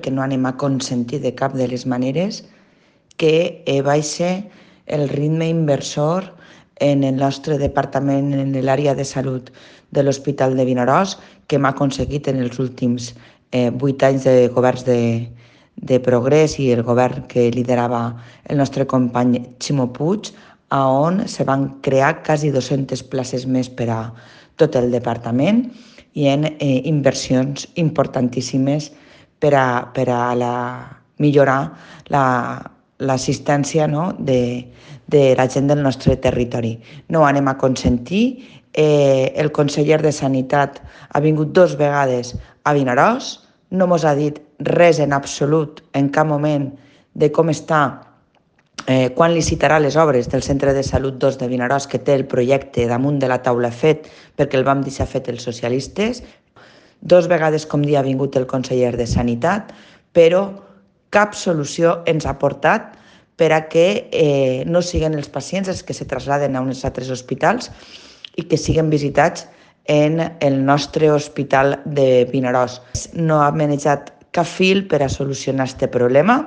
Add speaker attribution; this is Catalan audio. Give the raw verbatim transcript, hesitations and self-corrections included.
Speaker 1: que no anem a consentir de cap de les maneres que eh, baixe el ritme inversor en el nostre departament, en l'àrea de salut de l'Hospital de Vinaròs, que hem aconseguit en els últims eh, vuit anys de governs de, de progrés i el govern que liderava el nostre company Ximo Puig, on se van crear quasi dues-centes places més per a tot el departament i en eh, inversions importantíssimes per a, per a la, millorar la, l'assistència, no?, de, de la gent del nostre territori. No ho anem a consentir. Eh, el conseller de Sanitat ha vingut dos vegades a Vinaròs, no mos ha dit res en absolut, en cap moment, de com està, eh, quan licitarà les obres del Centre de Salut dos de Vinaròs, que té el projecte damunt de la taula fet, perquè el vam deixar fet els socialistes. Dos vegades, com dia, ha vingut el conseller de Sanitat, però cap solució ens ha portat per a que eh, no siguin els pacients els que se traslladen a uns altres hospitals i que siguin visitats en el nostre hospital de Vinaròs. No ha manejat cap fil per a solucionar aquest problema.